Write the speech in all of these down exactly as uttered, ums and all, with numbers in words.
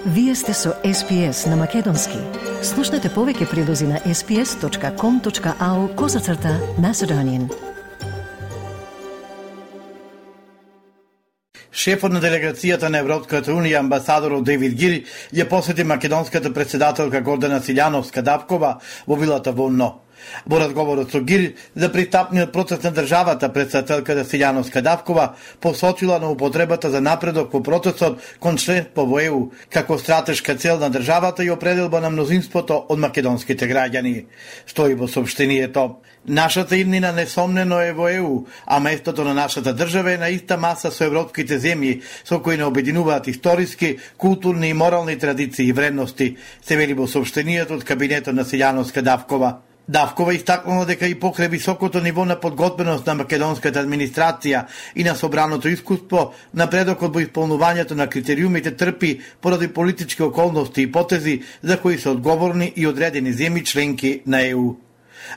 Вие сте со Ес Пи Ес на Македонски. Слушнете повеќе прилози на ес пи ес точка ком точка ау козацрта Macedonian. Шефот на делегацијата на Европската унија, амбасадорот Дейвид Гир, ја посети македонската председателка Гордана Силјановска-Давкова во вилата во ОНО. Во разговорот со Гир за пристапниот процес на државата, председателката Силјановска-Давкова посочила на употребата за напредок во процесот кон членство во Е У како стратешка цел на државата и определба на мнозинството од македонските граѓани. Стои во соопштението: нашата иднина несомнено е во Е У, а местото на нашата држава е на иста маса со европските земји со кои не обединуваат историски, културни и морални традиции и вредности, се вели во соопштението од кабинетот на Силјановска-Давкова. Давкова истакнала дека и покрај високото ниво на подготвеност на македонската администрација и на собраното искуство, напредокот во исполнувањето на критериумите трпи поради политички околности и потези за кои се одговорни и одредени земји членки на Е У.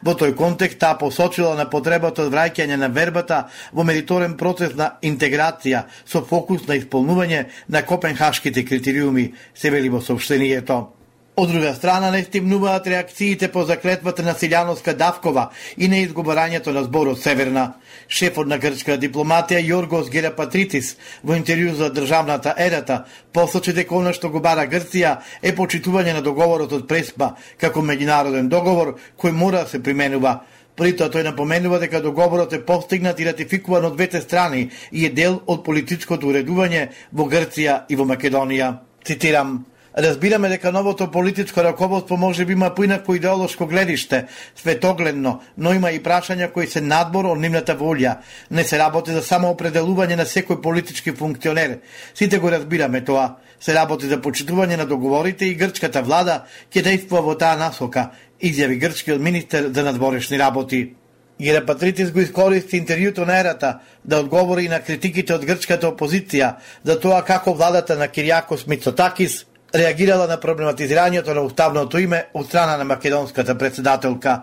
Во тој контекст таа посочила на потребата од враќање на вербата во мериторен процес на интеграција со фокус на исполнување на копенхашките критериуми, се вели во соопштението. Од друга страна, не стимнуваат реакциите по заклетвата на Силјановска-Давкова и неизговарањето на зборот Северна. Шефот на грчка дипломатија Јоргос Герапатритис во интервју за државната Ерата посочи дека она што го бара Грција е почитување на договорот од Преспа како меѓународен договор кој мора да се применува. При тоа тој напоменува дека договорот е постигнат и ратификуван од двете страни и е дел од политичкото уредување во Грција и во Македонија. Цитирам: разбираме дека новото политичко раководство може би има поинако идеолошко гледиште, светогледно, но има и прашања кои се надбор од нивната волја. Не се работи за самоопределување на секој политички функционер. Сите го разбираме тоа. Се работи за почитување на договорите и грчката влада ќе действува во таа насока, изјави грчкиот министер за надворешни работи. Герапатритис го искористи интервјуто на Ерата да одговори на критиките од грчката опозиција за тоа како владата на Кириакос Мицотакис реагирала на проблематизирањето на уставното име од страна на македонската председателка.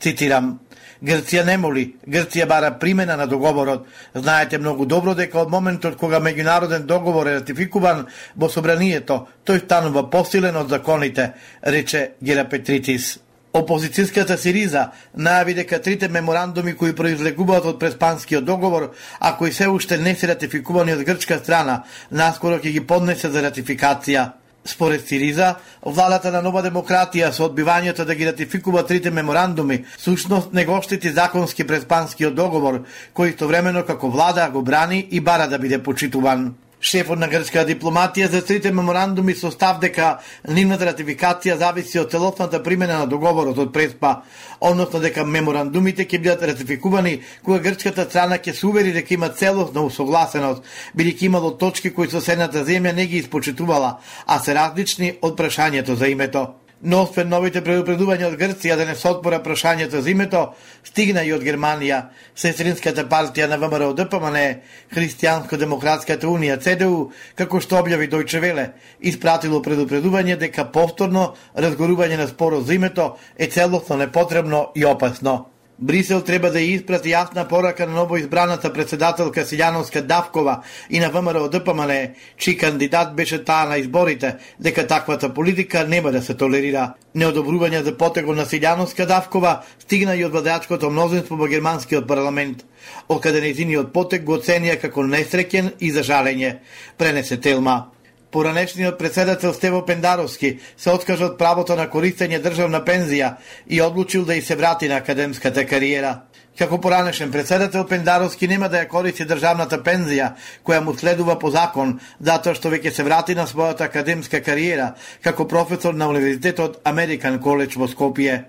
Цитирам: Грција не моли, Грција бара примена на договорот. Знаете многу добро дека од моментот кога меѓународен договор е ратификуван во собранието, тој станува посилен од законите, рече Герапатритис. Опозицијската Сириза најави дека трите меморандуми кои произлегуваат од Преспанскиот договор, а кои се уште не се ратификувани од грчка страна, наскоро ќе ги поднесе за ратификација. Според Сириза, владата на Нова демократија со одбивањето да ги ратификува трите меморандуми, сушност не го штити законски Преспанскиот договор, кој истовремено како влада го брани и бара да биде почитуван. Шефот на грчка дипломатија за трите меморандуми со став дека нивната ратификација зависи од целосната примена на договорот од Преспа, односно дека меморандумите ќе бидат ратификувани кога грчката страна ќе се увери дека има целосна усогласеност, бидејќи имало точки кои соседната земја не ги испочитувала, а се различни од прашањето за името. Но освен новите предупредувања од Грција да не се отпора прашањето за името, стигна и од Германија. Сестринската партија на Вэ Ем Р О Д П М Н, Христијанско-демократската унија Це Д У, како што објави Дојче Веле, испратило предупредување дека повторно разгорување на спорот за името е целосно непотребно и опасно. Брисел треба да ја испрати јасна порака на новоизбраната председателка Силјановска-Давкова и на Вэ Ем Р О Д П М Н, чиј кандидат беше таа на изборите, дека таквата политика нема да се толерира. Неодобрување за потегот на Силјановска-Давкова стигна и од владеачкото мнозинство во германскиот парламент, откаде нејзиниот потег го оценија како несреќен и за жалење, пренесе Телма. Поранешниот председател Стево Пендаровски се откажа од правото на користење државна пензија и одлучил да и се врати на академската кариера. Како поранешен председател, Пендаровски нема да ја користи државната пензија, која му следува по закон, затоа што веќе се врати на својата академска кариера како професор на Универзитетот Американ Коледж во Скопје.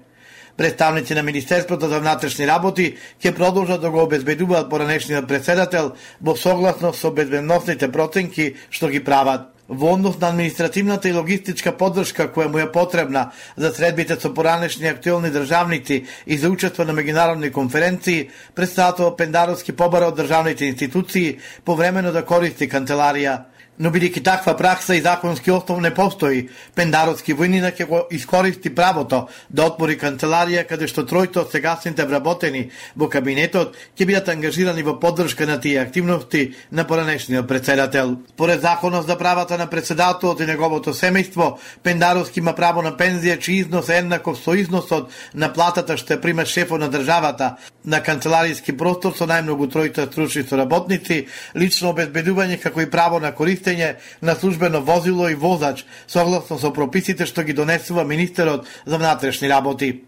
Представници на Министерството за внатрешни работи ќе продолжат да го обезбедуваат поранешниот председател во согласност со безбедносните проценки што ги прават. Во однос на административната и логистичка поддршка која му е потребна за средбите со поранешни актуелни државници и за учество на меѓународни конференции, председателот Пендаровски побара од државните институции повремено да користи канцеларија. Но бидејќи таква пракса и законски основ не постои, пендаровски војнина ќе го искористи правото да отвори канцеларија каде што тројто од сегасните вработени во кабинетот ќе бидат ангажирани во поддршка на тие активности на поранешниот председател. Според законот за правата на председателот и неговото семејство, Пендаровски има право на пензија чиј износ е еднаков со износот на платата што ја прима шефот на државата на канцеларијски простор со најмногу тројца стручни соработници, лично обезбедување како и право на користење на службено возило и возач, согласно со прописите што ги донесува министерот за внатрешни работи.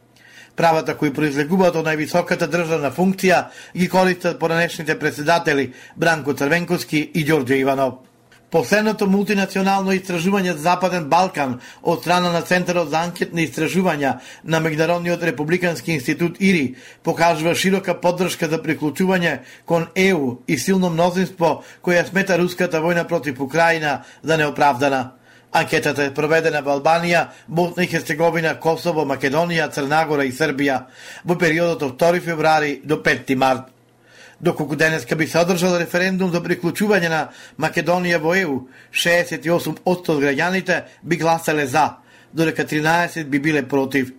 Правата кои произлегуваат од највисоката државна функција ги користат поранешните председатели Бранко Црвенковски и Ѓорѓе Иванов. Последното мултинационално истражување за Западен Балкан од страна на Центарот за анкетни истражувања на Меѓународниот републикански институт ИРИ покажува широка поддршка за приклучување кон Е У и силно мнозинство која смета руската војна против Украина за неоправдана. Анкетата е проведена во Албанија, Босна и Херцеговина, Косово, Македонија, Црнагора и Србија во периодот од втори февруари до петти март. Доколку денеска би се одржал референдум за приклучување на Македонија во Е У, шеесет и осум одсто од граѓаните би гласале за, додека тринаесет би биле против.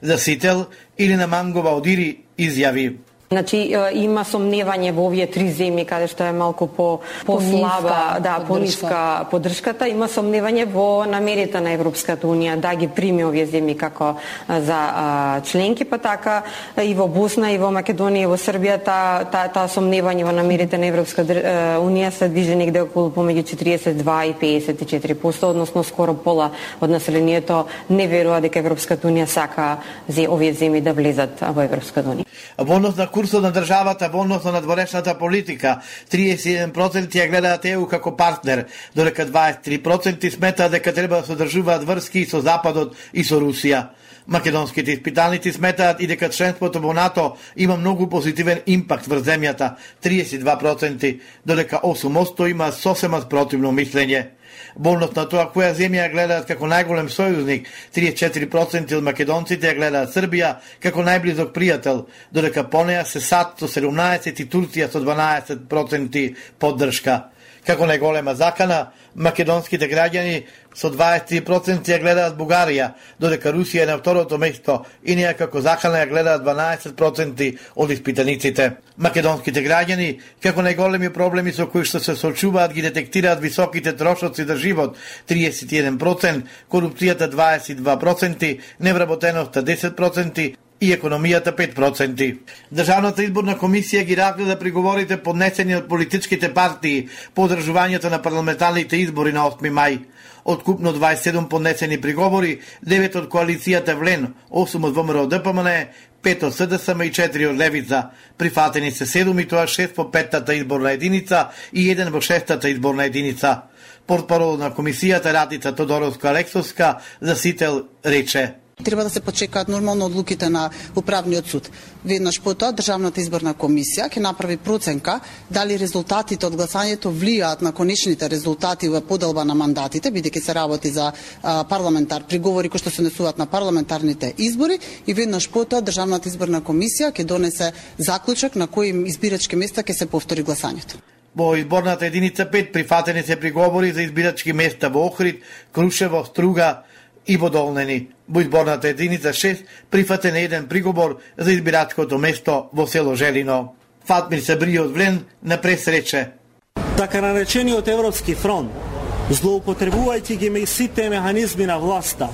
За Сител или на Мангова од Ири изјави: Значи има сомневање во овие три земји каде што е малку по послаба, да, пониска поддршката, има сомневање во намерите на Европската унија да ги прими овие земји како за а, членки, па така и во Босна и во Македонија и во Србија та та, та сомневање во намерите на Европската унија се движи негде околу помеѓу четириесет и два и пеесет и четири проценти, односно скоро пола од населението не верува дека Европската унија сака за овие земји да влезат во Европската унија. Во однос на курсот на државата во однос на надворешната политика, триесет и еден проценти ја гледаат Е У како партнер, додека дваесет и три проценти сметаат дека треба да се одржуваат врски со Западот и со Русија. Македонските испитаници сметаат и дека членството во НАТО има многу позитивен импакт врз земјата, триесет и два проценти, додека осум проценти има сосема спротивно мислење. Во однос на тоа која земја ја гледаат како најголем сојузник, триесет и четири проценти од македонците ја гледаат Србија како најблизок пријател, додека по неа се САД со седумнаесет и Турција со дванаесет проценти поддршка. Како најголема закана, македонските граѓани со дваесет и три проценти ја гледаат Бугарија, додека Русија е на второто место и неа како закана ја гледаат дванаесет проценти од испитаниците. Македонските граѓани, како најголеми проблеми со кои што се соочуваат, ги детектираат високите трошоци за живот триесет и еден проценти, корупцијата дваесет и два проценти, невработеноста десет проценти и економијата пет проценти. Државната изборна комисија ги разгледа приговорите поднесени од политичките партии по одржувањето на парламентарните избори на осми мај. Од купно дваесет и седум поднесени приговори, девет од коалицијата Влен, осум од Во М Р Д П М Н, пет од С Д С М и четири од Левица. Прифатени се седум и тоа шест по петтата изборна единица и еден во шестата изборна единица. Портпарол на комисијата Радица Тодоровска-Алексовска за Сител рече: Треба да се почекаат нормално одлуките на управниот суд. Веднаш потоа Државната изборна комисија ќе направи проценка дали резултатите од гласањето влијаат на конечните резултати во поделба на мандатите, бидејќи се работи за а, парламентар приговори кои што се однесуваат на парламентарните избори, и веднаш потоа Државната изборна комисија ќе донесе заклучок на кои избирачки места ќе се повтори гласањето. Во изборната единица пет прифатени се приговори за избирачки места во Охрид, Крушево, Струга и во Долнени. Во изборната единица шест прифатен еден приговор за избирачкото место во село Желино. Фатмир Сабри од Влен на прес рече: Така наречениот Европски фронт, злоупотребувајќи ги сите механизми на власта,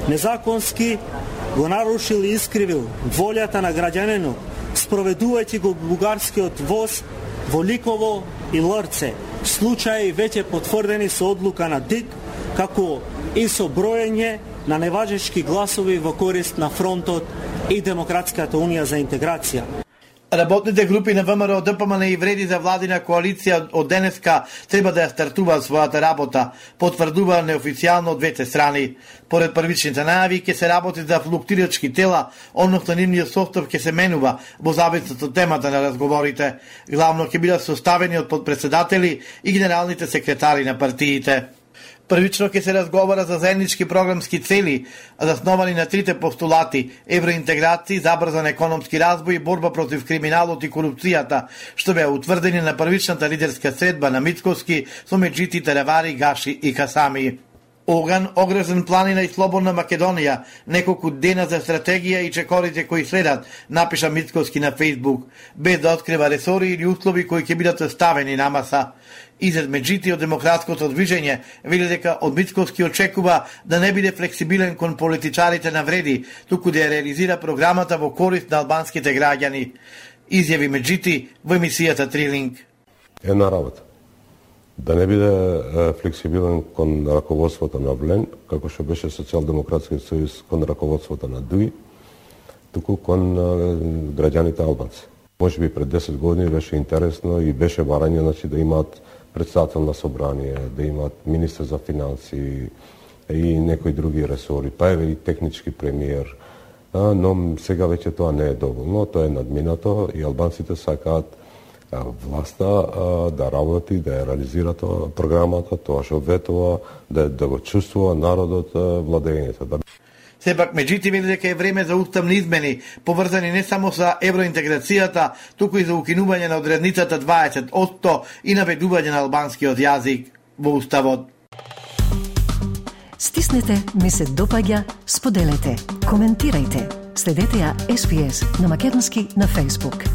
незаконски го нарушил и искривил волјата на граѓанинот, спроведувајќи го бугарскиот воз во Ликово и Лрце, случаи веќе потврдени со одлука на ДИК, како и со броење на неважечки гласови во корист на фронтот и Демократската унија за интеграција. Работните групи на Во М Р Д П М Н и вреди за владина коалиција од денеска треба да ја стартуваат својата работа, потврдува неофицијално од двете страни. Поред првичните најави ќе се работи за флуктирачки тела, односно нивниот состав ќе се менува во зависност од темата на разговорите. Главно ќе бидат составени од подпредседатели и генералните секретари на партиите. Првично ќе се разговара за заеднички програмски цели, засновани на трите постулати: евроинтеграција, забрзан економски развој и борба против криминалот и корупцијата, што беа утврдени на првичната лидерска средба на Мицковски со Меджити, Теревари, Гаши и Касами. Оган, огрезен планина и слободна Македонија, неколку дена за стратегија и чекорите кои следат, напиша Мицковски на Фејсбук, без да открива ресори или услови кои ќе бидат ставени на маса. Изед Меджити од демократското движење вели дека од Мицковски очекува да не биде флексибилен кон политичарите на вреди, туку да ја реализира програмата во корист на албанските граѓани. Изјави Меджити во емисијата Трилинг. Една работа. Да не биде флексибилен кон раководството на Влен, како што беше Социјалдемократски сојуз кон раководството на ДУИ, туку кон граѓаните албанци. Може би пред десет години беше интересно и беше барање, значи, да имаат председател на собрание, да имаат министр за финанси и некои други ресори, па еве и технички премиер. Но сега веќе тоа не е доволно, тоа е надминато и албанците сакаат власта да работи, да ја реализира тоа програмата, тоа што ветува, да, да го чувствува народот владењето. Да... Сепак Меджити вели дека е време за уставни измени, поврзани не само со евроинтеграцијата, туку и за укинување на одредницата дваесет одсто и наведување на албанскиот јазик во уставот. Стиснете, ми се допаѓа, споделете, коментирајте. Следете ја Ес Би Ес на македонски на Facebook.